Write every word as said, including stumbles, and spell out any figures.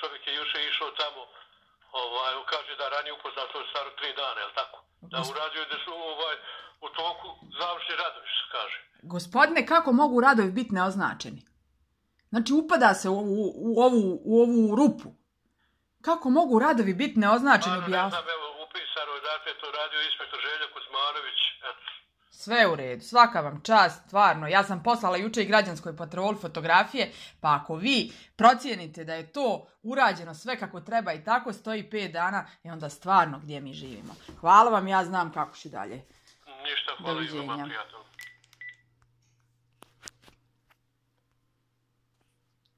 čovjek je juče išao tamo, ovaj, kaže da ranije upoznao, to je staro tri dana, je li tako? Da uradio da su ovaj, u toku završni radovi, što kaže. Gospodine, kako mogu radovi biti neoznačeni? Znači, upada se u, u, u, ovu, u ovu rupu. Kako mogu radovi biti neoznačeni? Ano, ne znam, evo, upisano je, dakle, to radio inspektor Željo Kuzmanović, eto. Sve u redu, svaka vam čast, stvarno. Ja sam poslala juče i građanskoj patroli fotografije, pa ako vi procijenite da je to urađeno sve kako treba i tako stoji pet dana, i onda stvarno gdje mi živimo. Hvala vam, ja znam kako ću dalje. Ništa, hvala i vama, prijatelj.